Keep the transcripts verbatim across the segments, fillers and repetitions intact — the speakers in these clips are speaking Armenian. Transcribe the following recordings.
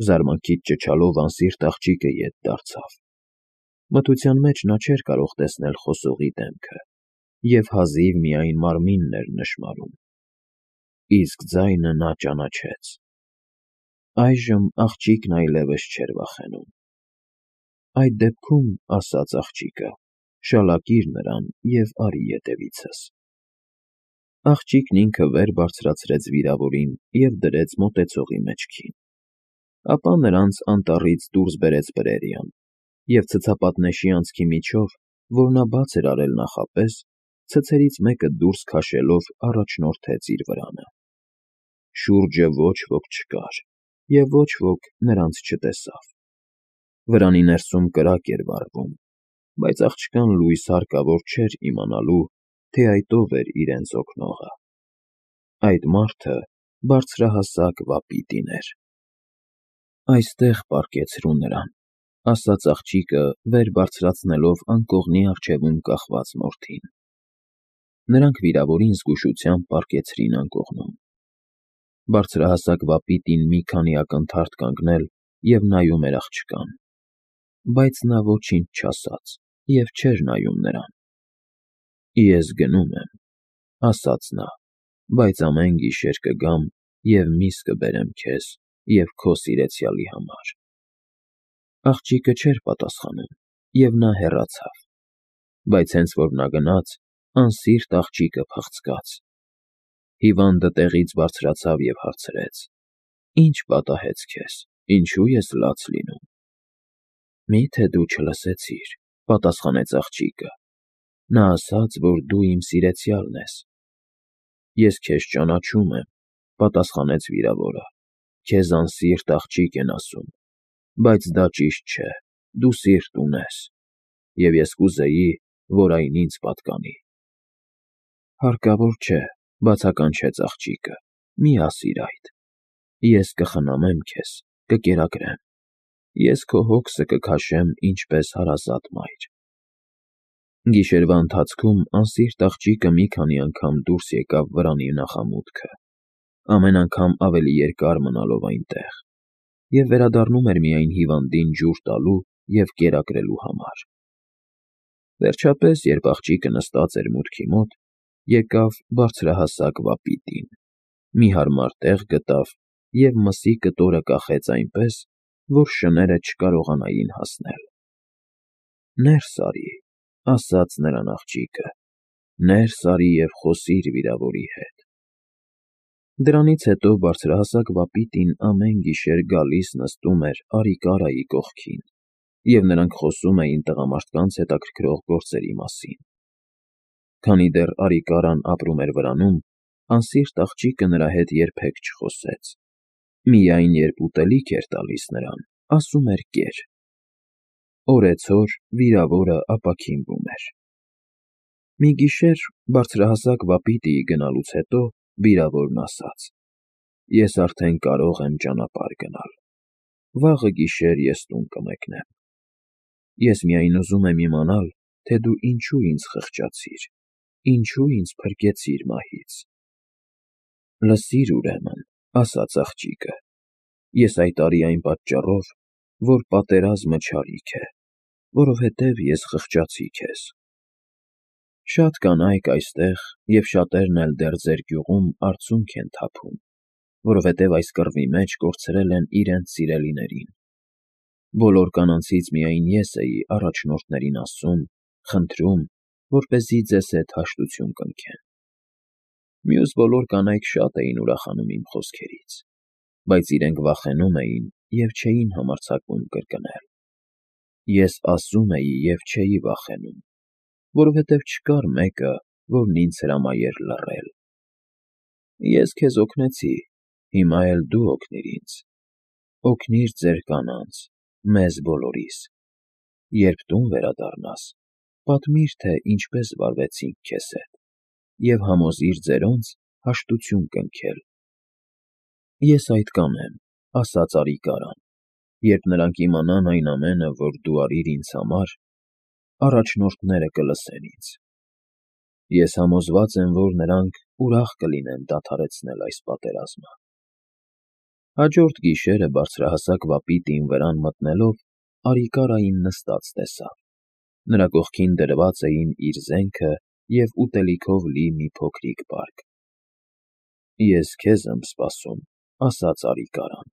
Զարմանքից ճչալով անսիրտ աղջիկը ետ դարձավ. մթության մեջ նա չէր կարող տեսնել խոսողի դեմքը և հազիվ միայն մարմինն էր նշմարում, իսկ ձայնը նա ճանաչեց. այժմ աղջիկն այլևս չէր վախենում։ Այդ դեպքում, ասաց աղջիկը, շալակիր նրան և արի ետևիցս։ Աղջիկն ինքը վեր բարձրացրեց վիրավորին և դրեց մոտեցողի մեջքին, ապա նրանց անտառից դուրս բերեց բրերիան և ցցապատնեշի անցքի միջով, որ նա բաց էր արել նախապես, ցցերից մեկը դուրս քաշելով առաջնորդեց իր վրանը։ Շուրջը ոչ ոք չկար, և ոչ ոք նրանց չտեսավ։ Վրանի ներսում կրակ էր վառվում, բայց աղջկան լույս հարկավոր չէր իմանալու, թե այդ ով էր իրենց օգնողը։ Այդ մարդը բարձրահասակ վապիտին էր։ Այստեղ պառկեցրու նրան, ասաց աղջիկը, վեր բարձրացնելով անկողնի առջևում կախված մորթին։ Նրանք վիրավորին զգուշությամբ պառկեցրին անկողնում։ Բարձրահասակ վապիտին մի քանի ակնթարթ կանգնել և նայում էր աղջկան, բայց նա ոչինչ չասաց և չէր նայում նրան։ Ես գնում եմ, ասաց նա, բայց ամեն գիշեր կգամ և միս կբերեմ քեզ և քո սիրեցյալի համար։ Աղջիկը չէր պատասխանում, և նա հեռացավ, բայց հենց որ նա գնաց, անսիրտ աղջիկը փախցկաց։ Հիվանդը տեղից բարձրացավ և հարցրեց. Ի՞նչ պատահեց քեզ, ինչու ես լաց լինում։ Մի՞թե դու չլսեցիր, պատասխանեց աղջիկը, նա ասաց, որ դու իմ սիրեցյալն ես։ Ես քեզ ճանաչում եմ, պատասխանեց վիրավորը, քեզ անսիրտ աղջիկ են ասում, բայց դա ճիշտ չէ, դու սիրտ ունես, և ես կուզեի, որ այն ինձ պատկանի։ Հարկավոր չէ, բացականչեց աղջիկը, մի ասիր այդ։ Ես կխնամեմ քեզ, կկերակրեմ, ես քո հոգսը կքաշեմ ինչպես հարազատ մայր։ Գիշերվա ընթացքում անսիրտ աղջիկը մի քանի անգամ դուրս եկավ վրանի նախամուտքը, ամեն անգամ ավելի երկար մնալով այնտեղ, և վերադառնում էր միայն հիվանդին ջուր տալու և կերակրելու համար։ Վերջապես, երբ աղջիկը նստած էր մուտքի մոտ, եկավ բարձրահասակ վապիտին, մի հարմար տեղ գտավ և մսի կտորը կախեց այնպես, որ շները չկարողանային հասնել։ Ներս արի, ասաց նրան աղջիկը, ներս արի և խոսիր վիրավորի հետ։ Դրանից հետո բարձրահասակ վապիտին ամեն գիշեր գալիս նստում էր Արիկարայի կողքին, և նրանք խոսում էին տղամարդկանց հետաքրքրող գործերի մասին։ Քանի դեռ Արիկարան ապրում էր վրանում, անսիրտ աղջիկը նրա հետ երբեք չխոսեց, միայն երբ ուտելիք էր տալիս նրան, ասում էր կեր։ Օրեցօր վիրավորը ապաքինվում էր։ Մի գիշեր բարձրահասակ վապիտիի գնալուց հետո վիրավորն ասաց. Ես արդեն կարող եմ ճանապարհ գնալ, վաղը գիշեր ես տուն կմեկնեմ։ Ես միայն ուզում եմ իմանալ, թե դու ինչու ինձ խղճացիր, ինչու ինձ փրկեցիր մահից։ Լսիր ուրեմն, ասաց աղջիկը, ես այդ արի այն պատճառով, որ պատերազմը չարիք է, որովհետև ես խղճացի քեզ։ Շատ կանայք այստեղ և շատերն էլ դեռ ձեր գյուղում արցունք են թափում, որովհետև այս կռվի մեջ կորցրել են իրենց սիրելիներին։ Բոլոր կանանցից միայն ես էի առաջնորդներին ասում, խնդրում, որպեսզի ձեզ հետ հաշտություն կնքեն։ Մյուս բոլոր կանայք շատ էին ուրախանում իմ խոսքերից, բայց իրենք վախենում էին և չէին համարձակվում կրկնել։ Ես ասում էի և չէի վախենում, որովհետև չկար մեկը, որն ինձ հրամայեր լռել։ Ես քեզ օգնեցի, հիմա էլ դու օգնիր ինձ։ Օգնիր ձեր կանանց, մեզ բոլորիս։ Երբ տուն վերադառնաս, պատմիր, թե ինչպես վարվեցինք քեզ հետ, և համոզիր ձերոնց հաշտություն կնքել։ Ես այդ կանեմ, ասաց Արիկարան, երբ նրանք իմանան այն ամենը, որ դու արիր ինձ համար, առաջնորդները կլսեն ինձ։ Ես համոզված եմ, որ նրանք ուրախ կլինեն դադարեցնել այս պատերազմը։ Հաջորդ գիշերը բարձրահասակ վապիտին վրան մտնելով Արիկարային նստած տեսավ. նրա կողքին դրված էին իր զենքը և ուտելիքով լի մի փոքրիկ պարկ։ «Ես քեզ եմ սպասում», ասաց Արիկարան,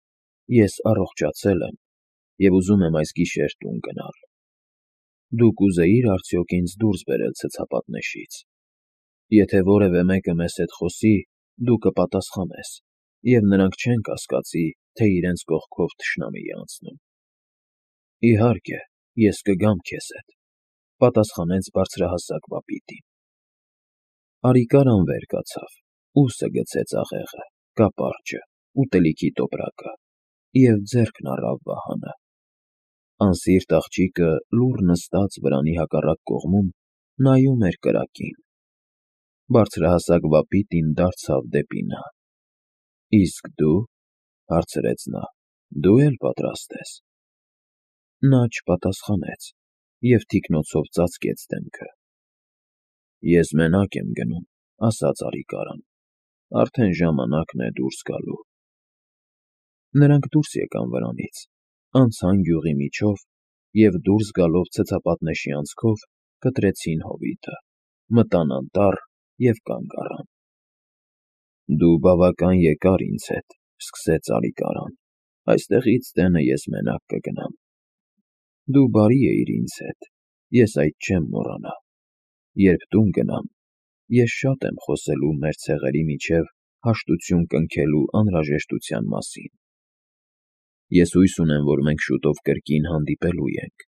«ես առողջացել եմ և ուզում եմ այս գիշեր տուն գնալ։ Դու կուզեի՞ր արդյոք ինձ դուրս բերել ցցապատնեշից։ Եթե որևէ մեկը մեզ հետ խոսի, դու կպատասխանես, և նրանք չեն կասկածի, թե իրենց կողքով թշնամի է անցնում»։ «Իհարկե, ես կգամ քեզ հետ», պատասխանեց բարձրահասակ վապիտին։ Արիկարան վեր կացավ, ուսը գցեց աղեղը, կապարճը, ուտելիքի տոպրակը և ձեռքն առավ վահանը։ Անսիրտ աղջիկը լուռ նստած վրանի հակառակ կողմում նայում էր կրակին։ Բարձրահասակ վապիտին դարձավ դեպի նա. «Իսկ դու», հարցրեց նա, «դու էլ պատրաստ ես»։ Նա չպատասխանեց և թիկնոցով ծածկեց դեմքը։ «Ես մենակ եմ գնում», ասաց Արիկարան, «արդեն ժամանակն է դուրս գալու»։ Նրանք դուրս եկան վրանից, անցան գյուղի միջով և դուրս գալով ցցապատնեշի անցքով կտրեցին հովիտը, մտան անտառ և կանգ առան։ «Դու բավական եկար ինձ հետ», սկսեց Արիկարան, «այստեղից տենը ես մենակ կգնամ։ Դու բարի էիր ինձ հետ, ես այդ չեմ մոռանա։ Երբ տուն գնամ, ես շատ եմ խոսելու մեր ցեղերի միջև հաշտություն կնքելու անհրաժեշտության մասին։ Ես հույս ունեմ, որ մենք շուտով կրկին հանդիպելու ենք,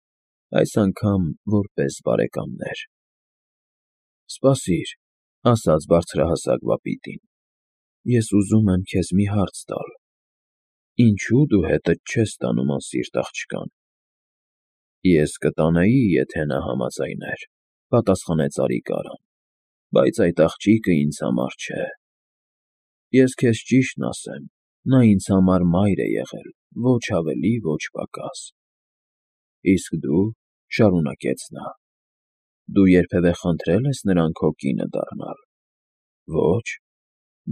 այս անգամ որպես բարեկամներ»։ «Սպասիր», ասաց բարձրահասակ վապիտին, «ես ուզում եմ քեզ մի հարց տալ. ինչո՞ւ դու հետդ չես տանում անսիրտ աղջկան»։ «Ես կտանեի, եթե նա համաձայներ», պատասխանեց Արիկարան, «բայց այդ աղջիկը ինձ համար չէ։ Ես քեզ ճիշտն ասեմ, նա ինձ համար մայր է եղել, ոչ ավելի, ոչ պակաս»։ «Իսկ դու», շարունակեց նա, «դու երբևէ խնդրե՞լ ես նրան քո կինը դառնալ»։ «Ոչ»։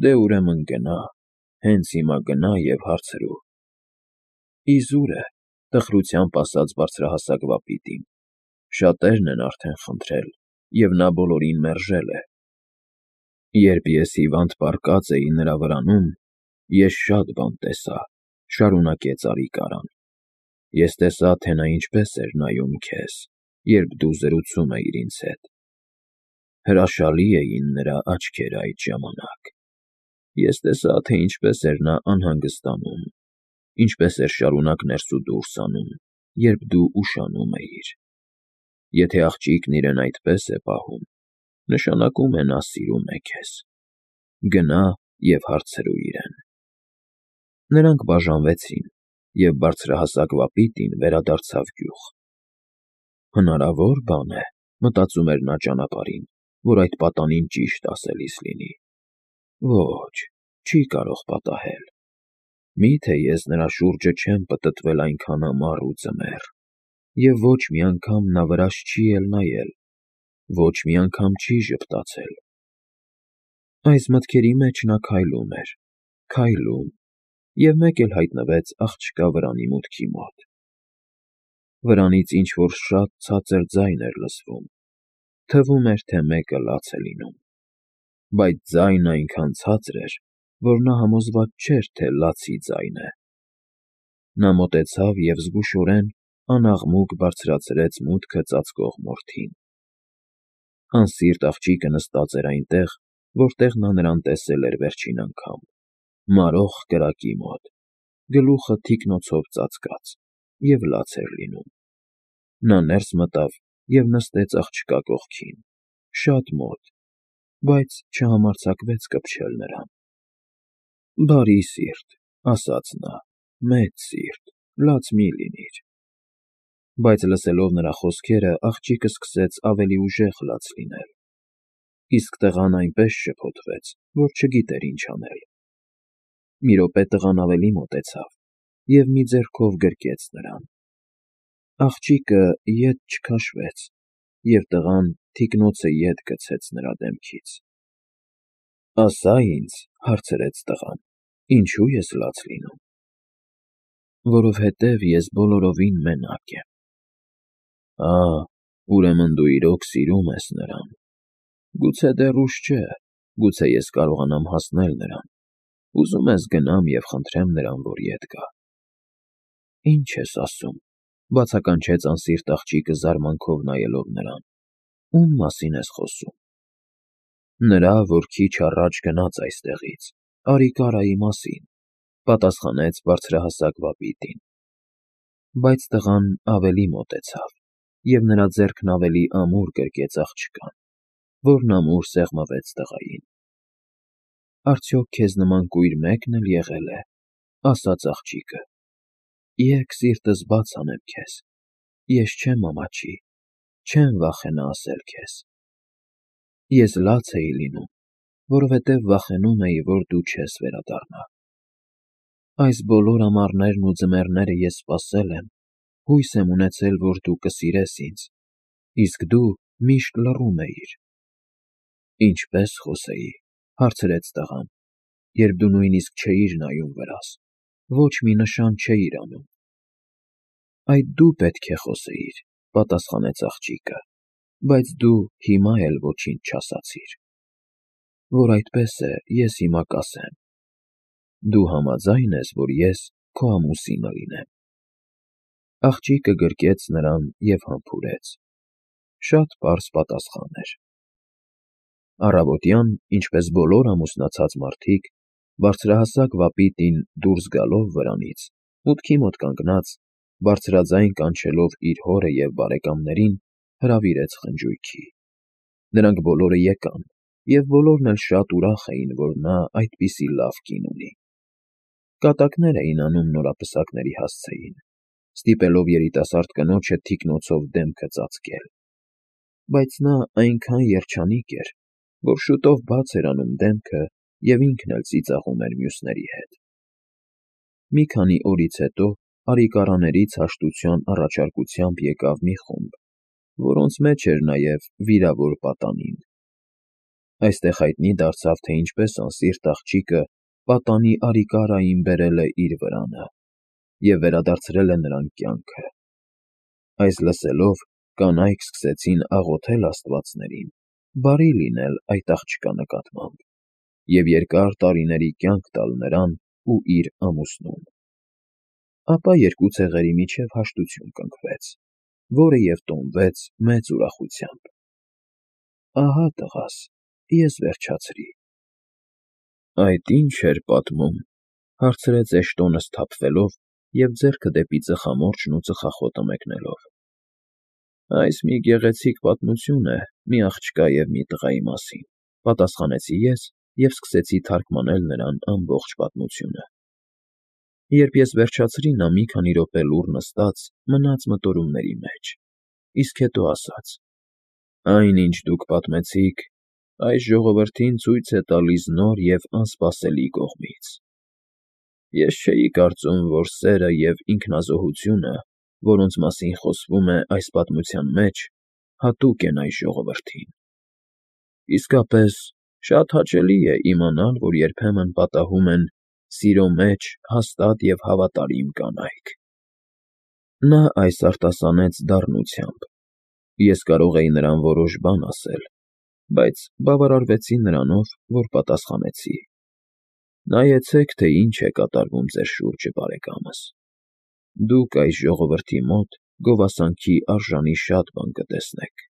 «Դե ուրեմն գնա, հենց հիմա գնա և հարցրու»։ «Իզուր է», տխրությամբ ասաց բարձրահասակ վապիտին, «շատերն են արդեն խնդրել, և նա բոլորին մերժել է»։ «Երբ ես հիվանդ պառկած էի նրա վրանում, ես շատ բան տեսա», շարունակեց Արիկարան։ «Ես տեսա, թե նա ինչպես էր նայում քեզ, երբ դու զրուցում էիր ինձ հետ։ Հրաշալի էին նրա աչքերը այդ ժամանակ։ Ես տեսա, թե ինչպես էր նա անհանգստանում, ինչպես էր շարունակ ներս ու դուրս անում, երբ դու ուշանում էիր։ Եթե աղջիկն իրեն այդպես է պահում, նշանակում է նա սիրում է քեզ։ Գնա և հարցրու իրեն»։ Նրանք բաժանվեցին, և բարձրահասակ վապիտին վերադարձավ գյուղ։ «Հնարավոր բան է, մտածում էր նա ճանապարհին, որ այդ պատանին ճիշտ ասելիս լինի։ Ոչ, չի կարող պատահել։ Մի՞թե ես նրա շուրջը չեմ պտտվել այնքան ամառ ու ձմեռ, և ոչ մի անգամ նա վրաս չի էլ նայել, ոչ մի անգամ չի ժպտացել»։ Այս մտքերի մեջ նա քայլում էր, քայլում, և մեկ էլ հայտնվեց աղջկա վրանի մուտքի մոտ։ Վրանից ինչ֊որ շատ ցածր ձայն էր լսվում, թվում էր, թե մեկը լաց է լինում։ Բայց ձայնը այնքան ցածր էր, որ նա համոզված չէր, թե լացի ձայն է։ Նա մոտեցավ և զգուշորեն անաղմուկ բարձրացրեց մուտքը ծածկող մորթին։ Անսիրտ աղջիկը նստած էր այնտեղ, որտեղ նա նրան տեսել էր վերջին անգամ, մարող կրակի մոտ, գլուխը թիկնոցով ծածկած, և լաց էր լինում։ Նա ներս մտավ և նստեց աղջկա կողքին, շատ մոտ, բայց չհամարձակվեց կպչել նրան։ «Բարի սիրտ», ասաց նա, «մեծ սիրտ, լաց մի՛ լինիր»։ Բայց լսելով նրա խոսքերը աղջիկը սկսեց ավելի ուժեղ լաց լինել, իսկ տղան այնպես շփոթվեց, որ չգիտեր ինչ անել։ Մի րոպե տղան ավելի մոտեցավ և մի ձեռքով գրկեց նրան։ Աղջիկը ետ չքաշվեց, և տղան թիկնոցը ետ գցեց նրա դեմքից։ «Ասա ինձ», հարցրեց տղան, «ինչո՞ւ ես լաց լինում»։ Որովհետև ես բոլորովին մենակ եմ։ Ա, ուրեմն դու իրոք սիրում ես նրան։ Գուցե դեռ ուշ չէ, գուցե ես կարողանամ հասնել նրան։ Ուզում ես գնամ և խնդրեմ նրան, որ ետ գա։ Ինչ ես ասում, բացականչեց անսիրտ աղջիկը զարմանքով նայելով նրան։ Ում մասին ես խոսում։ Նրա, որ քիչ առաջ գնաց այստեղից, Արիկարայի մասին, պատասխանեց բարձրահասակ վապիտին։ Բայց տղան ավելի մոտեցավ, և նրա ձեռքն ավելի ամուր գրկեց աղջկան, որն ամուր սեղմվեց տղային։ Արդյոք քեզ նման կույր մեկն էլ եղել է, ասաց աղջիկը։ Եկ սիրտս բաց անեմ քեզ, ես չեմ ամաչի, չեմ վախենա ասել քեզ։ Ես լաց էի լինում, որովհետև վախենում էի, որ դու չես վերադառնա։ Այս բոլոր ամառներն ու ձմեռները ես սպասել եմ, հույս եմ ունեցել, որ դու կսիրես ինձ, իսկ դու միշտ լռում էիր։ Ինչպե՞ս խոսեի, հարցրեց տղան, երբ դու նույնիսկ չէիր նայում վրաս, ոչ մի նշան չէիր անում։ Այդ դու պետք է խոսեիր, պատասխանեց աղջիկը, բայց դու հիմա էլ ոչինչ չասացիր։ Որ այդպես է, ես հիմա կասեմ։ Դու համաձա՞յն ես, որ ես քո ամուսինը լինեմ։ Աղջիկը գրկեց նրան և համբուրեց։ Շատ պարզ պատասխան էր։ Առավոտյան, ինչպես բոլոր ամուսնացած մարդիկ, բարձրահասակ վապիտին դուրս գալով վրանից, մուտքի մոտ կանգնած, բարձրաձայն կանչելով իր հորը և բարեկամներին, հրավիրեց խնջույքի։ Նրանք բոլորը եկան, և բոլորն էլ շատ ուրախ էին, որ նա այդպիսի լավ կին ունի։ Կատակներ էին անում նորապսակների հասցեին, ստիպելով երիտասարդ կնոջը թիկնոցով դեմքը ծածկել։ Բայց նա այնքան երջանիկ էր, որ շուտով բաց էր անում դեմքը և ինքն էլ ծիծաղում էր մյուսների հետ։ Մի քանի օրից հետո Արիկարաններից հաշտության առաջարկությամբ եկավ մի խումբ, որոնց մեջ էր նաև վիրավոր պատանին։ Այստեղ հայտնի դարձավ, թե ինչպես անսիրտ աղջիկը պատանի Արիկարային բերել է իր վրանը և վերադարձրել է նրան կյանքը։ Այս լսելով, կանայք սկսեցին աղոթել աստվածներին բարի լինել այդ աղջկա նկատմամբ և երկար տարիների կյանք տալ նրան ու իր ամուսնուն։ Ապա երկու ցեղերի միջև հաշտություն կնքվեց, որը և տոնվեց մեծ ուրախությամբ։ Ահա տղաս, ես վերջացրի։ Այդ ի՞նչ էր պատմում, հարցրեց Էշտոնը սթափվելով և ձեռքը դեպի ծխամորճն ու ծխախոտը մեկնելով։ Այս մի գեղեցիկ պատմություն է մի աղջկա և մի տղայի մասին, պատասխանեցի ես և սկսեցի թարգմանել նրան ամբողջ պատմությունը։ Երբ ես վերջացրի, նա մի քանի րոպե լուռ նստած մնաց մտորումների մեջ, իսկ հետո ասաց. Այն, ինչ դուք պատմեցիք, այս ժողովրդին ցույց է տալիս նոր և անսպասելի կողմից։ Ես չէի կարծում, որ սերը և ինքնազոհությունը, որոնց մասին խոսվում է այս պատմության մեջ, հատուկ են այս ժողովրդին։ Իսկապես, շատ հաճելի է իմանալ, որ երբեմն պատահում են սիրո մեջ հաստատ և հավատարիմ կանայք։ Նա այս արտասանեց դառնությամբ։ Ես կարող էի նրան որոշ բան ասել, բայց բավարարվեցի նրանով, որ պատասխանեցի. Նայեցեք, թե ինչ է կատարվում ձեր շուրջը, բարեկամս։ Դուք այս ժողովրդի մոտ գովասանքի արժանի շատ բան կտեսնեք։